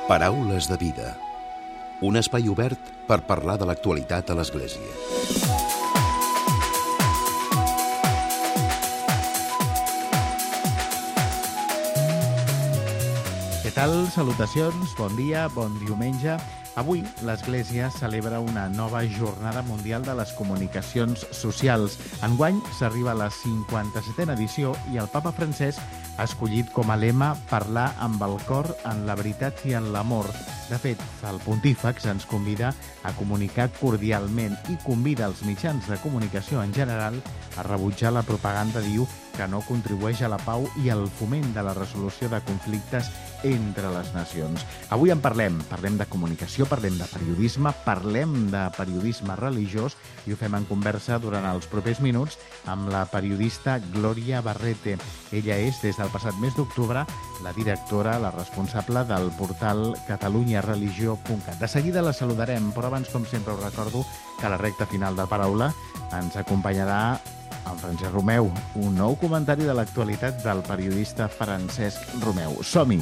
Paraules de vida. Un espai obert per parlar de l'actualitat a l'Església. Què tal? Salutacions, bon dia, bon diumenge. Avui l'Església celebra una nova Jornada Mundial de les Comunicacions Socials. Enguany s'arriba a la 57a edició i el papa Francesc ha escollit com a lema parlar amb el cor en la veritat i en l'amor. De fet, el pontífex ens convida a comunicar cordialment i convida els mitjans de comunicació en general a rebutjar la propaganda, diu, que no contribueix a la pau i al foment de la resolució de conflictes entre les nacions. Avui en parlem de comunicació, parlem de periodisme religiós i ho fem en conversa durant els propers minuts amb la periodista Glòria Barrete. Ella és, des del passat mes d'octubre, la directora, la responsable del portal catalunyareligió.cat. De seguida la saludarem, però abans, com sempre, us recordo que a la recta final de paraula ens acompanyarà en Francesc Romeu, un nou comentari de l'actualitat del periodista Francesc Romeu. Som-hi!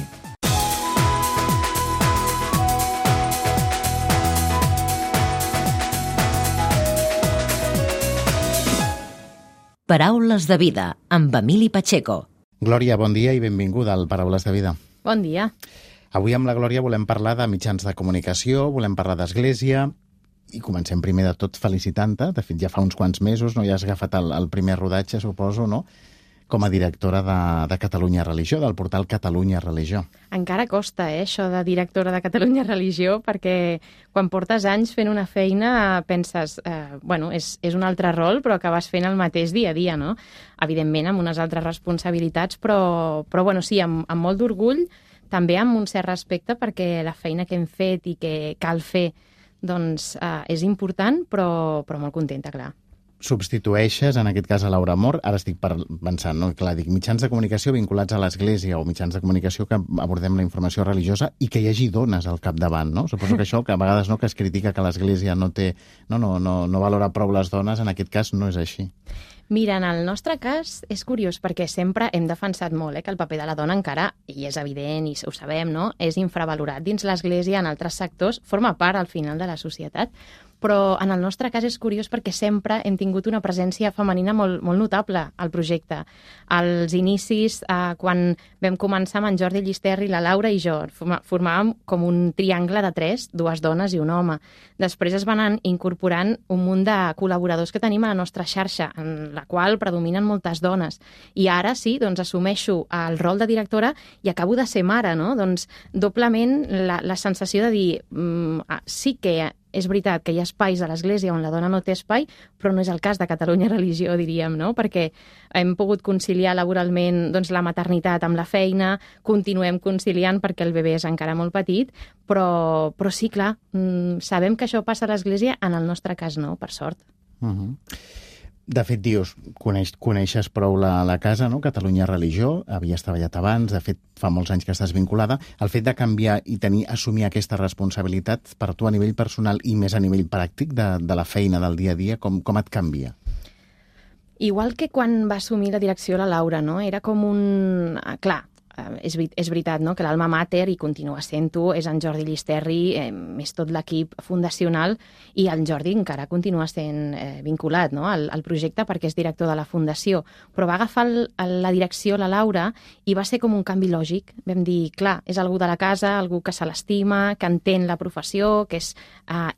Paraules de vida, amb Emili Pacheco. Glòria, bon dia i benvinguda al Paraules de vida. Bon dia. Avui amb la Glòria volem parlar de mitjans de comunicació, volem parlar d'Església, i comencem primer de tot felicitant-te. De fet, ja fa uns quants mesos, no? Ja has agafat el primer rodatge, suposo, no? Com a directora de Catalunya Religió, del portal Catalunya Religió. Encara costa, això de directora de Catalunya Religió, perquè quan portes anys fent una feina penses, és un altre rol, però acabes fent el mateix dia a dia, no? Evidentment, amb unes altres responsabilitats, però sí, amb molt d'orgull, també amb un cert respecte, perquè la feina que hem fet i que cal fer doncs és important, però molt contenta, clar. Substitueixes, en aquest cas, a Laura Mor. Ara estic pensant, no? Clar, dic mitjans de comunicació vinculats a l'Església o mitjans de comunicació que abordem la informació religiosa i que hi hagi dones al capdavant, no? Suposo que això, que a vegades que es critica que l'Església no valora prou les dones, en aquest cas no és així. Mira, en el nostre cas és curiós perquè sempre hem defensat molt que el paper de la dona encara, i és evident i ho sabem, no? És infravalorat dins l'Església, en altres sectors, forma part al final de la societat, però en el nostre cas és curiós perquè sempre hem tingut una presència femenina molt notable al projecte. Als inicis, quan vam començar amb en Jordi Llisterri, la Laura i jo, formàvem com un triangle de 3, 2 dones i un home. Després es van incorporant un munt de col·laboradors que tenim a la nostra xarxa, en la qual predominen moltes dones. I ara sí, doncs assumeixo el rol de directora i acabo de ser mare, no? Doncs doblement la sensació de dir sí que és veritat que hi ha espais a l'Església on la dona no té espai, però no és el cas de Catalunya Religió, diríem, no? Perquè hem pogut conciliar laboralment la maternitat amb la feina, continuem conciliant perquè el bebè és encara molt petit, però sí, clar, sabem que això passa a l'Església, en el nostre cas no, per sort. De fet, dius, coneixes prou la casa, no? Catalunya Religió, havies treballat abans, de fet, fa molts anys que estàs vinculada. El fet de canviar i assumir aquesta responsabilitat per tu a nivell personal i més a nivell pràctic de la feina del dia a dia, com et canvia? Igual que quan va assumir la direcció la Laura, no? Era com un... Clar, és veritat, no? Que l'alma mater, i continua sent-ho, és en Jordi Llisterri, és tot l'equip fundacional, i el Jordi encara continua sent vinculat, no? al projecte perquè és director de la fundació. Però va agafar la direcció la Laura i va ser com un canvi lògic. Vam dir, clar, és algú de la casa, algú que se l'estima, que entén la professió, que és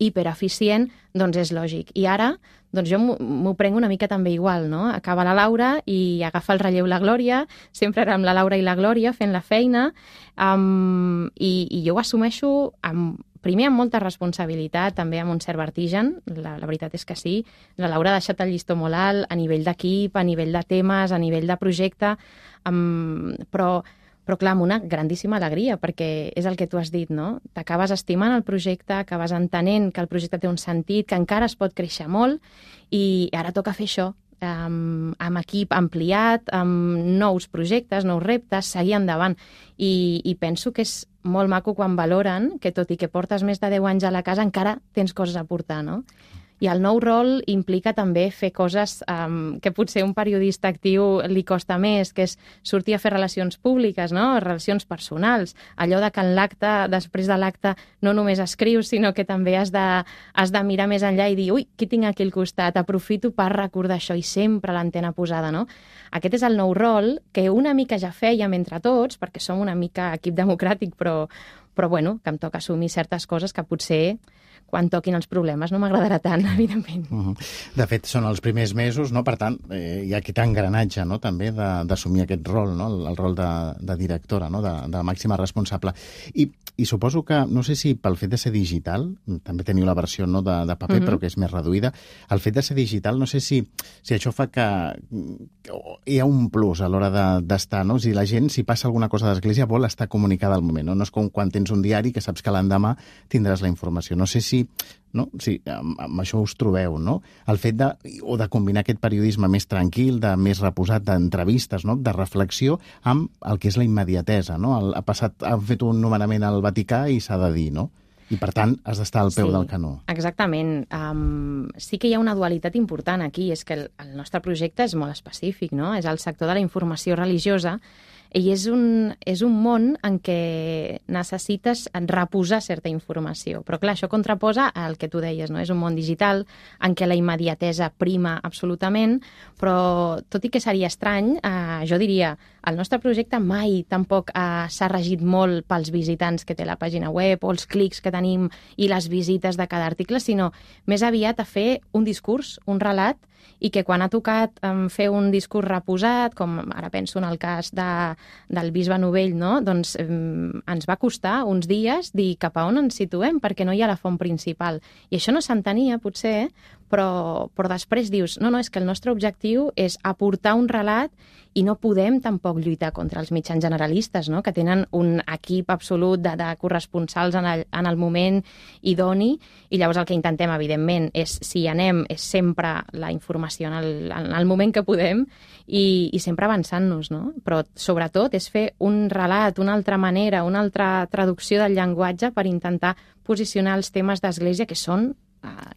hipereficient, doncs és lògic. I ara doncs jo m'ho prenc una mica també igual, no? Acaba la Laura i agafa el relleu la Glòria, sempre érem la Laura i la Glòria fent la feina, i jo ho assumeixo primer amb molta responsabilitat, també amb un cert vertigen, la veritat és que sí. La Laura ha deixat el llistó molt alt a nivell d'equip, a nivell de temes, a nivell de projecte, però clar, amb una grandíssima alegria, perquè és el que tu has dit, no? T'acabes estimant el projecte, acabes entenent que el projecte té un sentit, que encara es pot créixer molt, i ara toca fer això, amb equip ampliat, amb nous projectes, nous reptes, seguir endavant. I penso que és molt maco quan valoren que, tot i que portes més de 10 anys a la casa, encara tens coses a portar, no? I el nou rol implica també fer coses que potser un periodista actiu li costa més, que és sortir a fer relacions públiques, no? Relacions personals. Allò de que en l'acte, després de l'acte, no només escrius, sinó que també has de mirar més enllà i dir, ui, qui tinc aquí al costat? Aprofito per recordar això, i sempre l'antena posada, no? Aquest és el nou rol que una mica ja fèiem entre tots, perquè som una mica equip democràtic, però bueno, que em toca assumir certes coses que potser quan toquin els problemes no m'agradarà tant, evidentment. De fet, són els primers mesos, no? Per tant, hi ha aquest engranatge, no? També d'assumir aquest rol, no? El rol de directora, no? De màxima responsable. I suposo que, no sé si pel fet de ser digital, també teniu la versió no, de paper, però que és més reduïda, el fet de ser digital, no sé si això fa que hi ha un plus a l'hora d'estar, no? Si la gent, si passa alguna cosa d'església, vol estar comunicada al moment, no? No és com quan tens un diari que saps que l'endemà tindràs la informació. No sé si amb això us trobeu, no? El fet de combinar aquest periodisme més tranquil, més reposat, d'entrevistes, no? De reflexió, amb el que és la immediatesa, no? Han fet un nomenament al Vaticà i s'ha de dir, no? I, per tant, has d'estar al peu del canó. Exactament. Sí que hi ha una dualitat important aquí, és que el nostre projecte és molt específic, no? És el sector de la informació religiosa, i és un món en què necessites reposar certa informació. Però, clar, això contraposa al que tu deies, no? És un món digital en què la immediatesa prima absolutament, però tot i que seria estrany, jo diria, el nostre projecte mai tampoc s'ha regit molt pels visitants que té la pàgina web o els clics que tenim i les visites de cada article, sinó més aviat a fer un discurs, un relat, i que quan ha tocat fer un discurs reposat, com ara penso en el cas del bisbe Novell, no? Doncs ens va costar uns dies dir cap a on ens situem, perquè no hi ha la font principal. I això no s'entenia, potser, però després dius, no, és que el nostre objectiu és aportar un relat i no podem tampoc lluitar contra els mitjans generalistes, no? Que tenen un equip absolut de corresponsals en el moment idoni, i llavors el que intentem, evidentment, és, si anem, és sempre la informació en el moment que podem i sempre avançant-nos, no? Però, sobretot, és fer un relat, una altra manera, una altra traducció del llenguatge per intentar posicionar els temes d'Església que són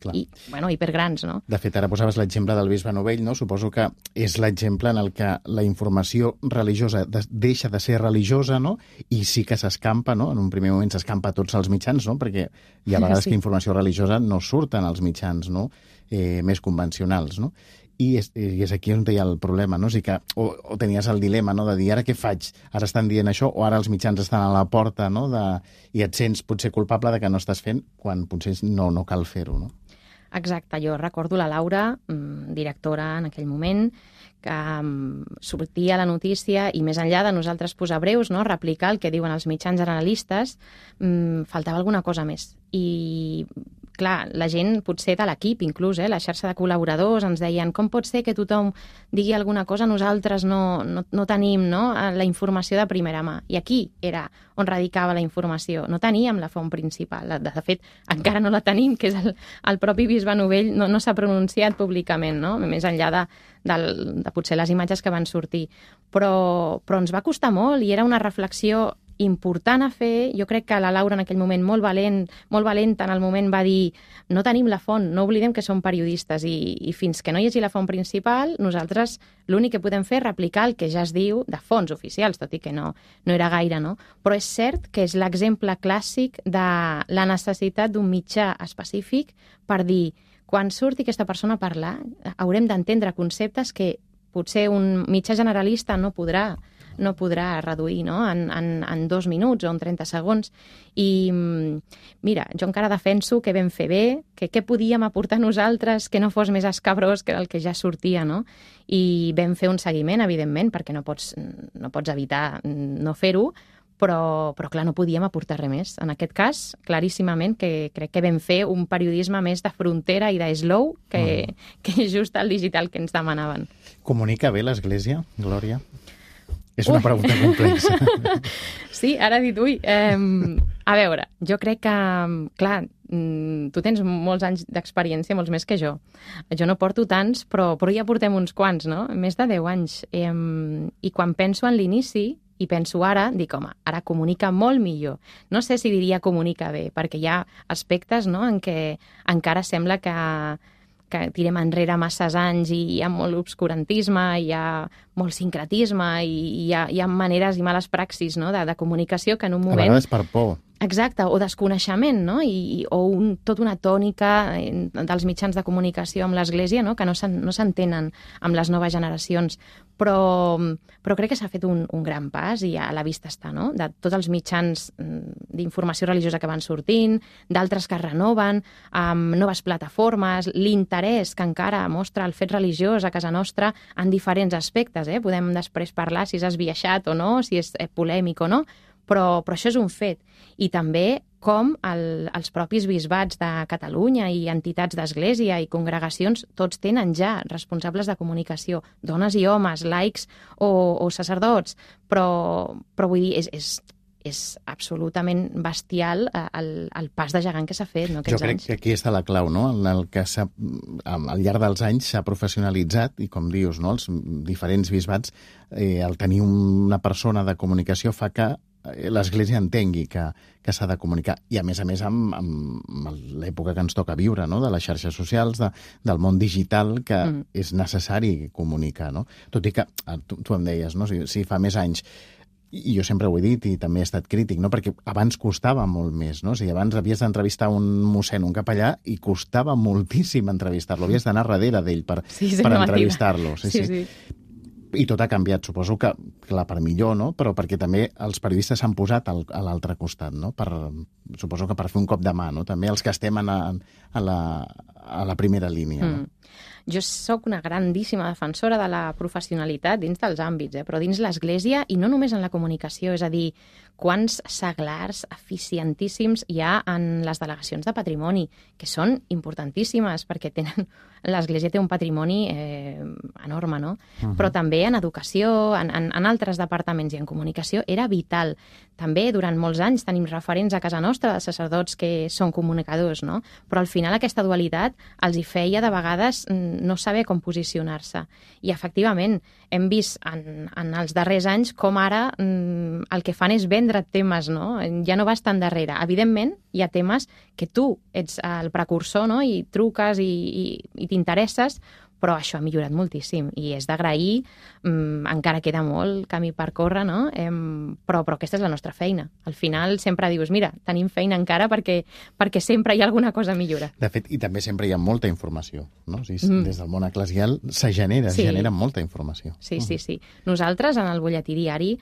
hipergrans, no? De fet, ara posaves l'exemple del bisbe Novell, no? Suposo que és l'exemple en el que la informació religiosa deixa de ser religiosa, no? I sí que s'escampa, no? En un primer moment s'escampa a tots els mitjans, no? Perquè hi ha vegades que informació religiosa no surten als mitjans, no? Més convencionals, no? I és aquí on hi ha el problema, no? O sigui que o tenies el dilema, no?, de dir, ara què faig? Ara estan dient això, o ara els mitjans estan a la porta, no?, i et sents potser culpable de que no estàs fent quan potser no cal fer-ho, no? Exacte, jo recordo la Laura, directora en aquell moment, que sortia la notícia i més enllà de nosaltres posar breus, no?, replicar el que diuen els mitjans generalistes, faltava alguna cosa més. I clar, la gent, potser de l'equip inclús, la xarxa de col·laboradors, ens deien com pot ser que tothom digui alguna cosa, nosaltres no tenim, no?, la informació de primera mà. I aquí era on radicava la informació. No teníem la font principal. De fet, encara no la tenim, que és el propi bisbe Novell, no s'ha pronunciat públicament, no?, més enllà de potser les imatges que van sortir. Però ens va costar molt i era una reflexió important a fer. Jo crec que la Laura en aquell moment molt valenta en el moment va dir no tenim la font, no oblidem que som periodistes i fins que no hi hagi la font principal nosaltres l'únic que podem fer és replicar el que ja es diu de fonts oficials, tot i que no era gaire, no? Però és cert que és l'exemple clàssic de la necessitat d'un mitjà específic per dir quan surti aquesta persona a parlar haurem d'entendre conceptes que potser un mitjà generalista no podrà reduir, no?, en 2 minuts o en 30 segons. I mira, jo encara defenso que vam fer bé, que què podíem aportar nosaltres que no fos més escabrós que el que ja sortia, no? I vam fer un seguiment, evidentment, perquè no pots evitar no fer-ho, però clar, no podíem aportar res més. En aquest cas, claríssimament, que crec que vam fer un periodisme més de frontera i de slow que just el digital que ens demanaven. Comunica bé l'Església, Glòria? És una pregunta complexa. Sí, ara dit, a veure, jo crec que, clar, tu tens molts anys d'experiència, molts més que jo. Jo no porto tants, però ja portem uns quants, no? Més de 10 anys. I quan penso en l'inici, i penso ara, dic, home, ara comunica molt millor. No sé si diria comunica bé, perquè hi ha aspectes, no?, en què encara sembla que que tirem enrere masses anys i hi ha molt obscurantisme, hi ha molt sincretisme i hi ha maneres i males praxis, no?, de comunicació que en un moment... A vegades per por. Exacte, o desconeixement, no? O tota una tònica dels mitjans de comunicació amb l'Església, no?, que no s'entenen amb les noves generacions. Però crec que s'ha fet un gran pas i a la vista està, no?, de tots els mitjans d'informació religiosa que van sortint, d'altres que es renoven, amb noves plataformes, l'interès que encara mostra el fet religiós a casa nostra en diferents aspectes. Podem després parlar si és esbiaixat o no, si és polèmic o no, però això és un fet. I també com els propis bisbats de Catalunya i entitats d'església i congregacions tots tenen ja responsables de comunicació, dones i homes, laics o sacerdots, però vull dir, és absolutament bestial el pas de gegant que s'ha fet, no, aquests anys. Jo crec que aquí està la clau, no?, el que al llarg dels anys s'ha professionalitzat i, com dius, no?, els diferents bisbats, el tenir una persona de comunicació fa que l'Església entengui que s'ha de comunicar. I, a més, amb l'època que ens toca viure, no?, de les xarxes socials, del món digital, que és necessari comunicar, no? Tot i que, tu em deies, no?, si fa més anys, i jo sempre ho he dit i també he estat crític, no?, perquè abans costava molt més, no? O sigui, abans havies d'entrevistar un mossèn, un capellà, i costava moltíssim entrevistar-lo. Havies d'anar darrere d'ell per entrevistar-lo. Sí. I tot ha canviat, suposo que, clar, per millor, no?, però perquè també els periodistes s'han posat a l'altre costat, no?, suposo que per fer un cop de mà, no?, també els que estem a la primera línia, no? Jo sóc una grandíssima defensora de la professionalitat dins dels àmbits, però dins l'Església i no només en la comunicació, és a dir, quants seglars eficientíssims hi ha en les delegacions de patrimoni, que són importantíssimes perquè l'Església té un patrimoni enorme, no? Però també en educació, en altres departaments i en comunicació era vital. També durant molts anys tenim referents a casa nostra de sacerdots que són comunicadors, no? Però al final aquesta dualitat els hi feia de vegades no saber com posicionar-se. I efectivament hem vist en els darrers anys com ara el que fan és vendre temes, no? Ja no vas tan darrere. Evidentment, hi ha temes que tu ets el precursor, no?, i truques i t'interesses, però això ha millorat moltíssim i és d'agrair, encara queda molt camí per córrer, no? Però aquesta és la nostra feina. Al final sempre dius, mira, tenim feina encara perquè sempre hi ha alguna cosa a millorar. De fet, i també sempre hi ha molta informació, no? O sigui, des del món eclesial se genera molta informació. Sí. Nosaltres, en el butlletí diari,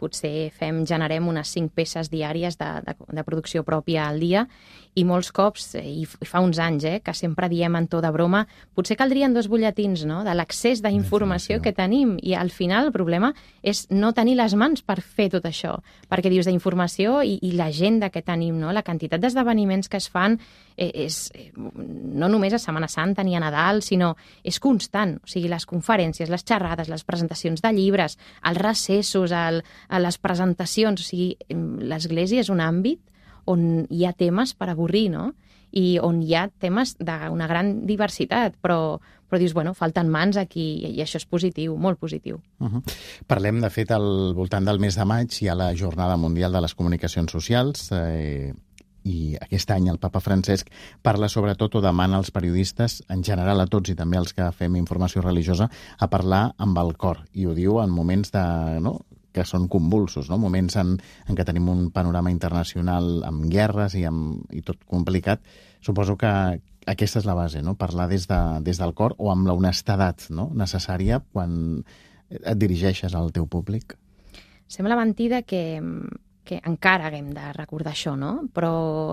potser generem unes 5 peces diàries de producció pròpia al dia i molts cops, i fa uns anys, que sempre diem en to de broma, potser caldrien 2 butlletins, no?, de l'accés d'informació que tenim, i al final el problema és no tenir les mans per fer tot això, perquè dius d'informació i l'agenda que tenim, no?, la quantitat d'esdeveniments que es fan és no només a Setmana Santa ni a Nadal, sinó és constant. O sigui, les conferències, les xerrades, les presentacions de llibres, els recessos, les presentacions. O sigui, l'Església és un àmbit on hi ha temes per avorrir, no?, i on hi ha temes d'una gran diversitat, però dius, bueno, falten mans aquí, i això és positiu, molt positiu. Parlem, de fet, al voltant del mes de maig hi ha la Jornada Mundial de les Comunicacions Socials, i aquest any el papa Francesc parla sobretot, o demana als periodistes, en general a tots i també als que fem informació religiosa, a parlar amb el cor, i ho diu en moments que són convulsos, no? Moments en què tenim un panorama internacional amb guerres i tot complicat. Suposo que aquesta és la base, no?, parlar des del cor o amb la honestedat, no?, necessària quan et dirigeixes al teu públic. Sembla mentida que encara haguem de recordar això, no?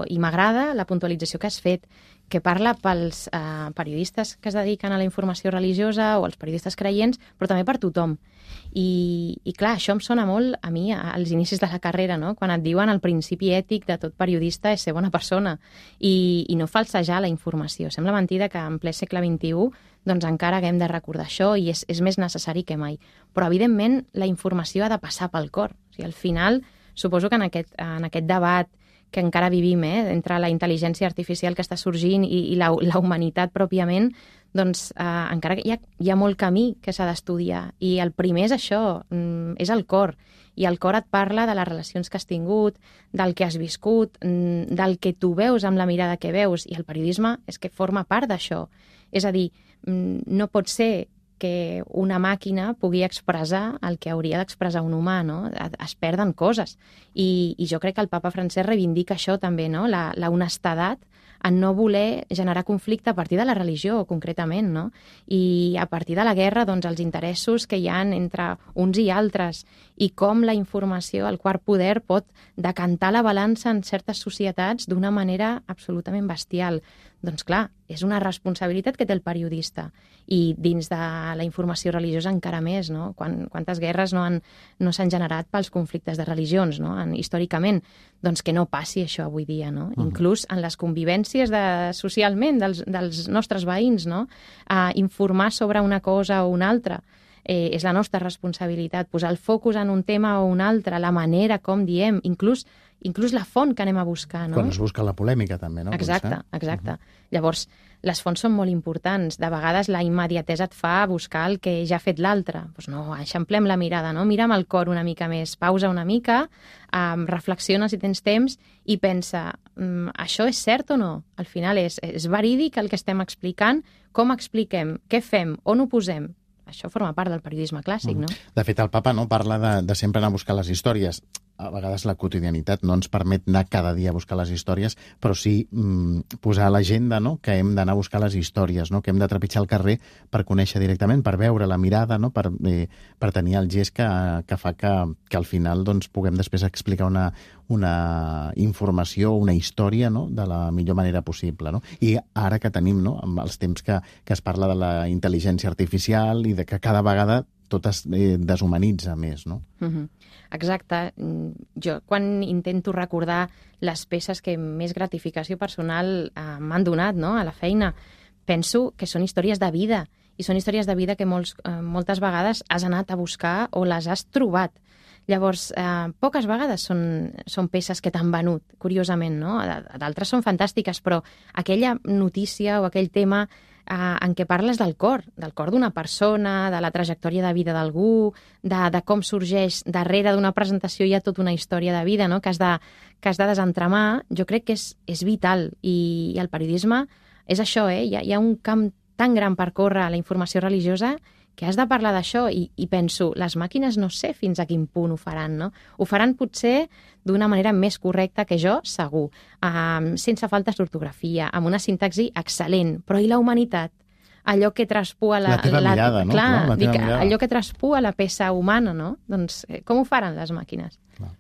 I m'agrada la puntualització que has fet, que parla pels periodistes que es dediquen a la informació religiosa o als periodistes creients, però també per tothom. I clar, això em sona molt a mi als inicis de la carrera, no?, quan et diuen el principi ètic de tot periodista és ser bona persona i no falsejar la informació. Sembla mentida que en ple segle XXI doncs encara haguem de recordar això i és més necessari que mai. Però, evidentment, la informació ha de passar pel cor. O sigui, al final, suposo que en aquest debat que encara vivim, entre la intel·ligència artificial que està sorgint i la humanitat pròpiament, doncs encara hi ha molt camí que s'ha d'estudiar. I el primer és això, és el cor. I el cor et parla de les relacions que has tingut, del que has viscut, del que tu veus amb la mirada que veus. I el periodisme és que forma part d'això. És a dir, no pot ser que una màquina pugui expressar el que hauria d'expressar un humà, no? Es perden coses. I jo crec que el papa Francesc reivindica això també, no? La honestedat en no voler generar conflicte a partir de la religió, concretament, no? I a partir de la guerra, doncs, els interessos que hi ha entre uns i altres i com la informació, el quart poder, pot decantar la balança en certes societats d'una manera absolutament bestial. Doncs clar, és una responsabilitat que té el periodista. I dins de la informació religiosa encara més, no? Quantes guerres no s'han generat pels conflictes de religions, no? Històricament. Doncs que no passi això avui dia, no? Inclús en les convivències socialment dels nostres veïns, no? Informar sobre una cosa o una altra és la nostra responsabilitat. Posar el focus en un tema o un altre, la manera com diem, inclús la font que anem a buscar, no? Quan es busca la polèmica, també, no? Exacte. Llavors, les fonts són molt importants. De vegades la immediatesa et fa buscar el que ja ha fet l'altre. Doncs no, eixamplem la mirada, no? Mira amb el cor una mica més, pausa una mica, reflexiona si tens temps i pensa, això és cert o no? Al final és verídic el que estem explicant? Com expliquem? Què fem? On ho posem? Això forma part del periodisme clàssic, no? De fet, el papa parla de sempre anar a buscar les històries. A vegades la quotidianitat no ens permet anar cada dia a buscar les històries, però sí posar a l'agenda, no? Que hem d'anar a buscar les històries, no? Que hem de trepitjar el carrer per conèixer directament, per veure la mirada, no? Per tenir el gest que fa que al final doncs, puguem després explicar una informació, una història, no? De la millor manera possible, no? I ara que tenim, no? Amb els temps que es parla de la intel·ligència artificial i de que cada vegada tot es deshumanitza més, no? Exacte. Jo, quan intento recordar les peces que més gratificació personal m'han donat, no? A la feina, penso que són històries de vida, i són històries de vida que moltes vegades has anat a buscar o les has trobat. Llavors, poques vegades són peces que t'han venut, curiosament, no? D'altres són fantàstiques, però aquella notícia o aquell tema en què parles del cor d'una persona, de la trajectòria de vida d'algú, de com sorgeix darrere d'una presentació hi ha tota una història de vida, no? que has de desentramar, jo crec que és vital. I el periodisme és això, hi ha un camp tan gran per córrer a la informació religiosa que has de parlar d'això i penso, les màquines no sé fins a quin punt ho faran, no? Ho faran potser d'una manera més correcta que jo, segur, sense faltes d'ortografia, amb una sintaxi excel·lent, però i la humanitat? Allò que traspua la teva mirada, no? Clar, dic, allò que traspua la peça humana, no? Doncs com ho faran les màquines? Clar.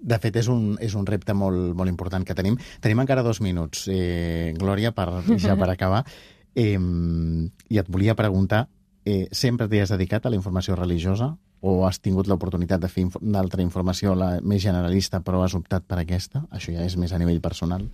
De fet, és un repte molt, molt important que tenim. Tenim encara 2 minuts, Glòria, ja per acabar. I et volia preguntar, sempre t'hi has dedicat a la informació religiosa o has tingut l'oportunitat de fer d'altra informació més generalista però has optat per aquesta? Això ja és més a nivell personal.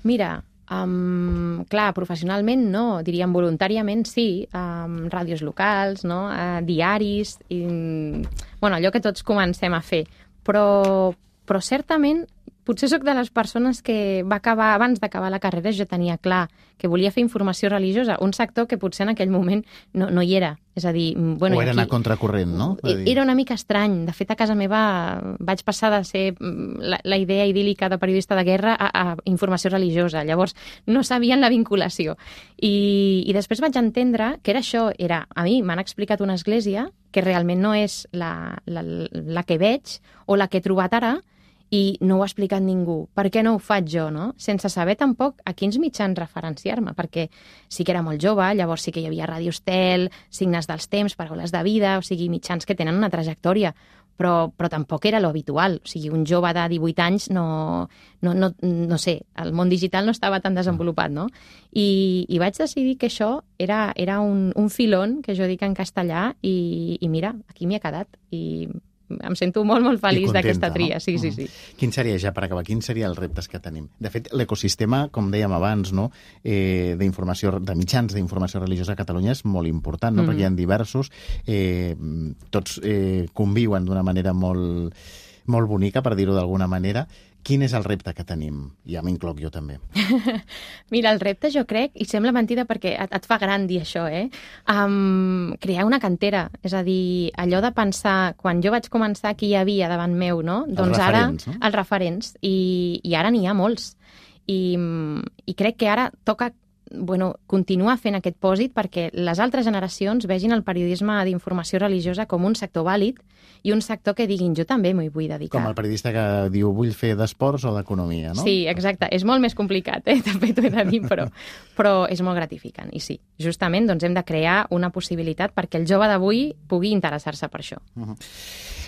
Mira, clar, professionalment no, diríem voluntàriament sí, ràdios locals, no? Diaris, allò que tots comencem a fer. Però certament potser sóc de les persones que abans d'acabar la carrera ja tenia clar que volia fer informació religiosa, un sector que potser en aquell moment no hi era. És a dir, o era anar contracorrent, no? Era una mica estrany. De fet, a casa meva vaig passar de ser la idea idíl·lica de periodista de guerra a informació religiosa. Llavors, no sabien la vinculació. I després vaig entendre que era això. A mi m'han explicat una església que realment no és la que veig o la que he trobat ara, i no ho ha explicat ningú. Per què no ho faig jo, no? Sense saber tampoc a quins mitjans referenciar-me, perquè sí que era molt jove, llavors sí que hi havia Ràdio Estel, Signes dels Temps, Paraules de Vida, o sigui, mitjans que tenen una trajectòria, però tampoc era lo habitual. O sigui, un jove de 18 anys no sé, el món digital no estava tan desenvolupat, no? I vaig decidir que això era un filón, que jo dic en castellà, i mira, aquí m'hi he quedat, i em sento molt, molt feliç d'aquesta tria. No? Sí. Quin seria, ja per acabar, quins serien els reptes que tenim? De fet, l'ecosistema, com dèiem abans, no? De mitjans d'informació religiosa a Catalunya és molt important, no? Perquè hi ha diversos, tots conviuen d'una manera molt molt bonica, per dir-ho d'alguna manera. Quin és el repte que tenim? Ja m'incloc jo també. Mira, el repte jo crec, i sembla mentida perquè et fa gran dir això, crear una cantera. És a dir, allò de pensar, quan jo vaig començar, qui hi havia davant meu, no? Doncs referents, ara, no? Els referents, i ara n'hi ha molts. I crec que ara toca continuar fent aquest pòsit perquè les altres generacions vegin el periodisme d'informació religiosa com un sector vàlid i un sector que diguin, jo també m'hi vull dedicar. Com el periodista que diu, vull fer d'esports o d'economia, no? Sí, exacte. És molt més complicat, també t'ho he de dir, però és molt gratificant. I sí, justament doncs, hem de crear una possibilitat perquè el jove d'avui pugui interessar-se per això.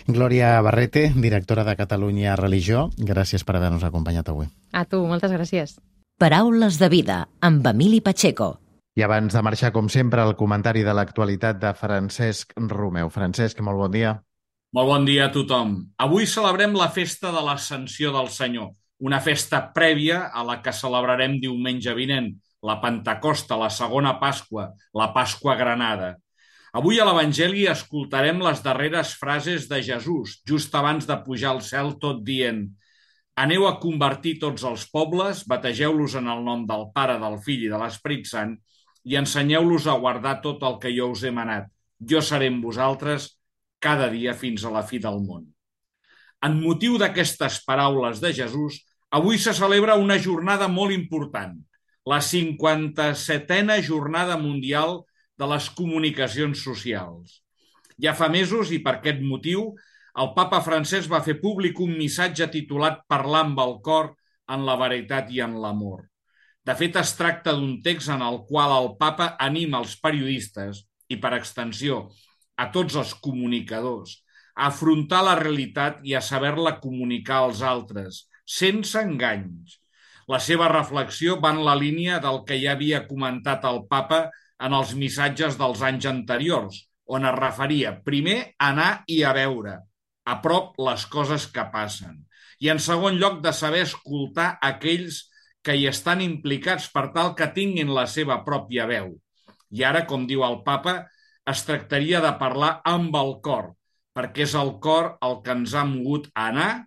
Glòria Barrete, directora de Catalunya Religió, gràcies per haver-nos acompanyat avui. A tu, moltes gràcies. Paraules de vida, amb Emili Pacheco. I abans de marxar, com sempre, el comentari de l'actualitat de Francesc Romeu. Francesc, molt bon dia. Molt bon dia a tothom. Avui celebrem la festa de l'Ascensió del Senyor, una festa prèvia a la que celebrarem diumenge vinent, la Pentecosta, la segona Pasqua, la Pasqua Granada. Avui a l'Evangeli escoltarem les darreres frases de Jesús, just abans de pujar al cel, tot dient: aneu a convertir tots els pobles, bategeu-los en el nom del Pare, del Fill i de l'Esperit Sant i ensenyeu-los a guardar tot el que jo us he manat. Jo seré amb vosaltres cada dia fins a la fi del món. En motiu d'aquestes paraules de Jesús, avui se celebra una jornada molt important, la 57a Jornada Mundial de les Comunicacions Socials. Ja fa mesos, i per aquest motiu, el papa Francesc va fer públic un missatge titulat Parlar amb el cor en la veritat i en l'amor. De fet, es tracta d'un text en el qual el papa anima els periodistes i, per extensió, a tots els comunicadors a afrontar la realitat i a saber-la comunicar als altres, sense enganys. La seva reflexió va en la línia del que ja havia comentat el papa en els missatges dels anys anteriors, on es referia primer a anar i a veure, a prop les coses que passen. I en segon lloc de saber escoltar aquells que hi estan implicats per tal que tinguin la seva pròpia veu. I ara, com diu el papa, es tractaria de parlar amb el cor, perquè és el cor el que ens ha mogut a anar,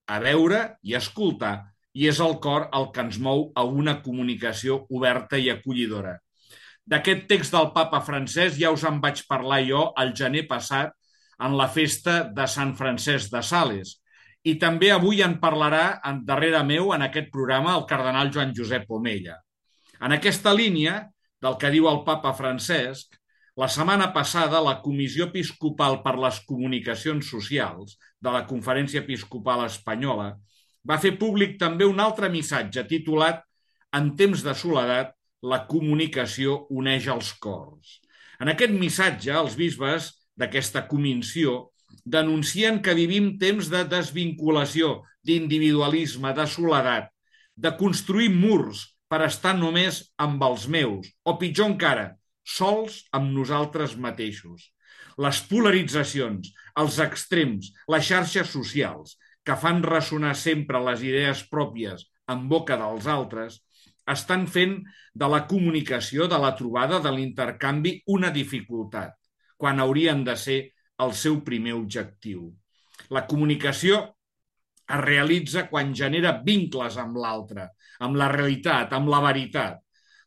a veure i a escoltar, i és el cor el que ens mou a una comunicació oberta i acollidora. D'aquest text del papa Francesc ja us en vaig parlar jo el gener passat en la festa de Sant Francesc de Sales. I també avui en parlarà darrere meu en aquest programa el cardenal Joan Josep Omella. En aquesta línia del que diu el papa Francesc, la setmana passada la Comissió Episcopal per les Comunicacions Socials de la Conferència Episcopal Espanyola va fer públic també un altre missatge titulat En temps de soledat, la comunicació uneix els cors. En aquest missatge, els bisbes d'aquesta comissió denuncien que vivim temps de desvinculació, d'individualisme, de soledat, de construir murs per estar només amb els meus, o pitjor encara, sols amb nosaltres mateixos. Les polaritzacions, els extrems, les xarxes socials, que fan ressonar sempre les idees pròpies en boca dels altres, estan fent de la comunicació, de la trobada, de l'intercanvi, una dificultat, quan haurien de ser el seu primer objectiu. La comunicació es realitza quan genera vincles amb l'altre, amb la realitat, amb la veritat,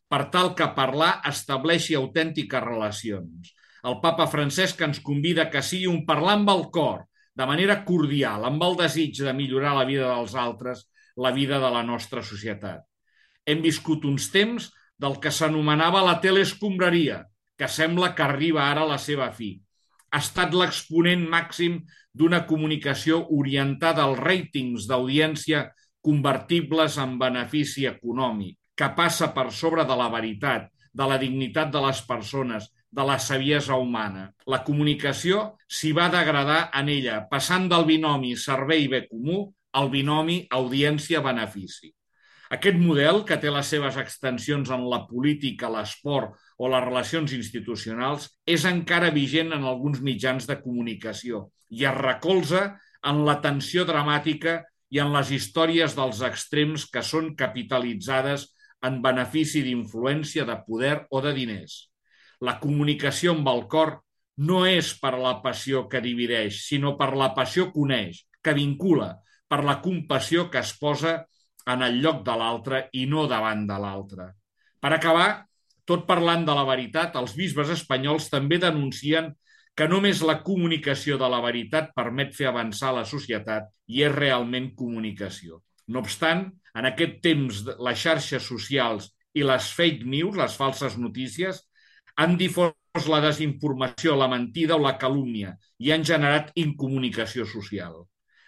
per tal que parlar estableixi autèntiques relacions. El papa Francesc ens convida que sigui un parlar amb el cor, de manera cordial, amb el desig de millorar la vida dels altres, la vida de la nostra societat. Hem viscut uns temps del que s'anomenava la teleescombraria, que sembla que arriba ara a la seva fi. Ha estat l'exponent màxim d'una comunicació orientada als ràtings d'audiència convertibles en benefici econòmic, que passa per sobre de la veritat, de la dignitat de les persones, de la saviesa humana. La comunicació s'hi va degradar en ella, passant del binomi servei-bé comú al binomi audiència-benefici. Aquest model, que té les seves extensions en la política, l'esport o les relacions institucionals, és encara vigent en alguns mitjans de comunicació i es recolza en la tensió dramàtica i en les històries dels extrems que són capitalitzades en benefici d'influència, de poder o de diners. La comunicació amb el cor no és per la passió que divideix, sinó per la passió que uneix, que vincula, per la compassió que es posa en el lloc de l'altre i no davant de l'altre. Per acabar, tot parlant de la veritat, els bisbes espanyols també denuncien que només la comunicació de la veritat permet fer avançar la societat i és realment comunicació. No obstant, en aquest temps, les xarxes socials i les fake news, les falses notícies, han difós la desinformació, la mentida o la calúmnia i han generat incomunicació social.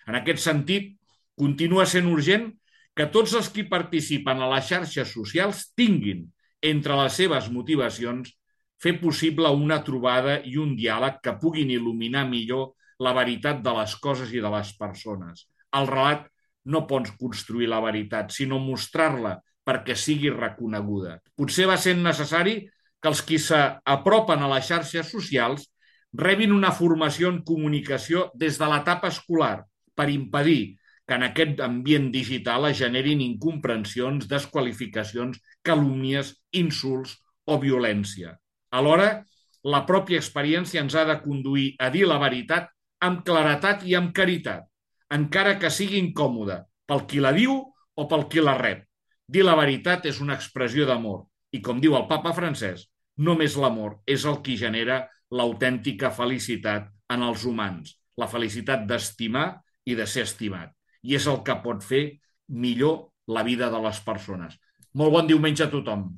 En aquest sentit, continua sent urgent que tots els qui participen a les xarxes socials tinguin, entre les seves motivacions, fer possible una trobada i un diàleg que puguin il·luminar millor la veritat de les coses i de les persones. El relat no pots construir la veritat, sinó mostrar-la perquè sigui reconeguda. Potser va sent necessari que els qui s'apropen a les xarxes socials rebin una formació en comunicació des de l'etapa escolar per impedir que en aquest ambient digital es generin incomprensions, desqualificacions, calúmnies, insults o violència. Alhora, la pròpia experiència ens ha de conduir a dir la veritat amb claretat i amb caritat, encara que sigui incòmode pel qui la diu o pel qui la rep. Dir la veritat és una expressió d'amor i, com diu el papa Francesc, només l'amor és el que genera l'autèntica felicitat en els humans, la felicitat d'estimar i de ser estimat. I és el que pot fer millor la vida de les persones. Molt bon diumenge a tothom.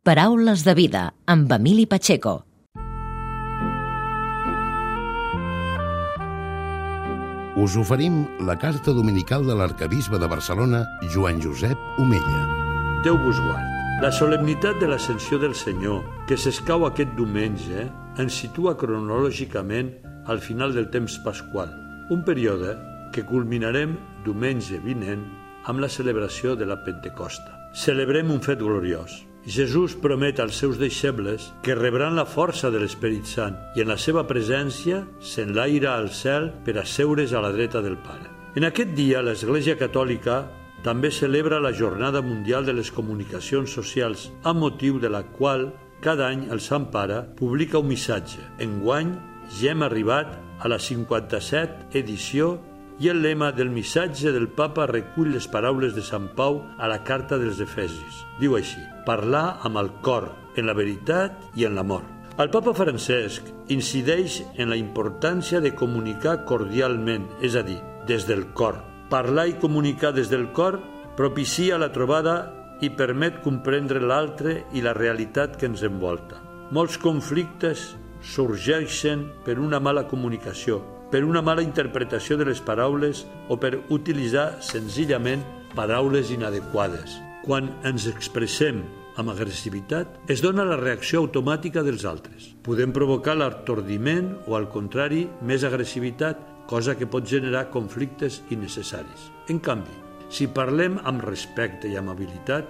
Paraules de vida, amb Emili Pacheco. Us oferim la carta dominical de l'arquebisbe de Barcelona, Joan Josep Omella. Déu vos guard. La solemnitat de l'Ascensió del Senyor, que s'escau aquest diumenge, ens situa cronològicament al final del temps pasqual, un període que culminarem diumenge vinent amb la celebració de la Pentecosta. Celebrem un fet gloriós. Jesús promet als seus deixebles que rebran la força de l'Esperit Sant i en la seva presència s'enlaira al cel per asseure's a la dreta del Pare. En aquest dia, l'Església Catòlica també celebra la Jornada Mundial de les Comunicacions Socials, amb motiu de la qual cada any el Sant Pare publica un missatge. Enguany ja hem arribat a la 57 edició i el lema del missatge del Papa recull les paraules de Sant Pau a la carta dels Efesis. Diu així: parlar amb el cor, en la veritat i en l'amor. El Papa Francesc incideix en la importància de comunicar cordialment, és a dir, des del cor. Parlar i comunicar des del cor propicia la trobada i permet comprendre l'altre i la realitat que ens envolta. Molts conflictes sorgeixen per una mala comunicació, per una mala interpretació de les paraules o per utilitzar senzillament paraules inadequades. Quan ens expressem amb agressivitat, es dona la reacció automàtica dels altres. Podem provocar l'atordiment o, al contrari, més agressivitat, cosa que pot generar conflictes innecessaris. En canvi, si parlem amb respecte i amabilitat,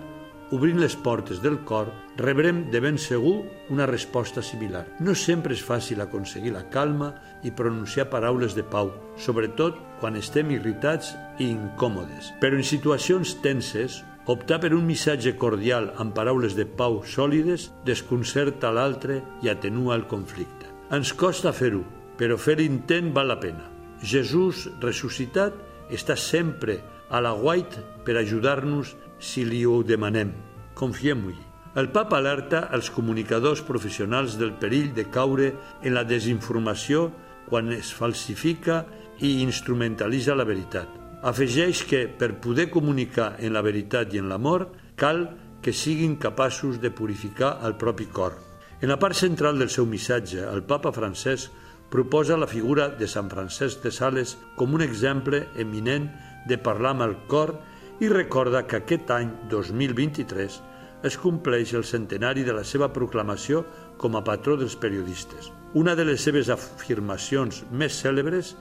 obrint les portes del cor, rebrem de ben segur una resposta similar. No sempre és fàcil aconseguir la calma i pronunciar paraules de pau, sobretot quan estem irritats i incòmodes. Però en situacions tenses, optar per un missatge cordial amb paraules de pau sòlides desconcerta l'altre i atenua el conflicte. Ens costa fer-ho, però fer l'intent val la pena. Jesús ressuscitat està sempre a l'aguait per ajudar-nos si li ho demanem. Confiem-hi. El Papa alerta els comunicadors professionals del perill de caure en la desinformació quan es falsifica i instrumentalitza la veritat. Afegeix que, per poder comunicar en la veritat i en l'amor, cal que siguin capaços de purificar el propi cor. En la part central del seu missatge, el Papa Francesc proposa la figura de Sant Francesc de Sales com un exemple eminent de parlar amb el cor i recorda que aquest any, 2023, es compleix el centenari de la seva proclamació com a patró dels periodistes. Una de les seves afirmacions més cèlebres,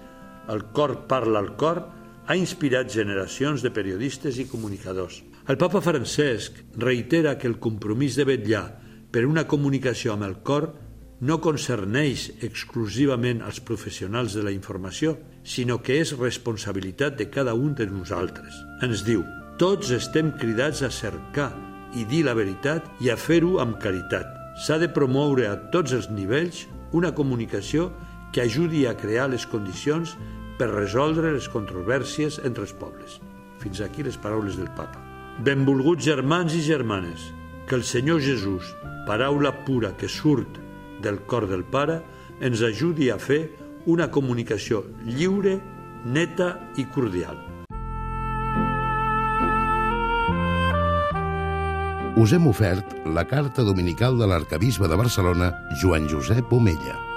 el cor parla al cor, ha inspirat generacions de periodistes i comunicadors. El Papa Francesc reitera que el compromís de vetllar per una comunicació amb el cor no concerneix exclusivament als professionals de la informació, sinó que és responsabilitat de cada un de nosaltres. Ens diu: tots estem cridats a cercar i dir la veritat i a fer-ho amb caritat. S'ha de promoure a tots els nivells una comunicació que ajudi a crear les condicions per resoldre les controvèrsies entre els pobles. Fins aquí les paraules del papa. Benvolguts germans i germanes, que el Senyor Jesús, paraula pura que surt del cor del Pare, ens ajudi a fer una comunicació lliure, neta i cordial. Us hem ofert la carta dominical de l'arquebisbe de Barcelona, Joan Josep Omella.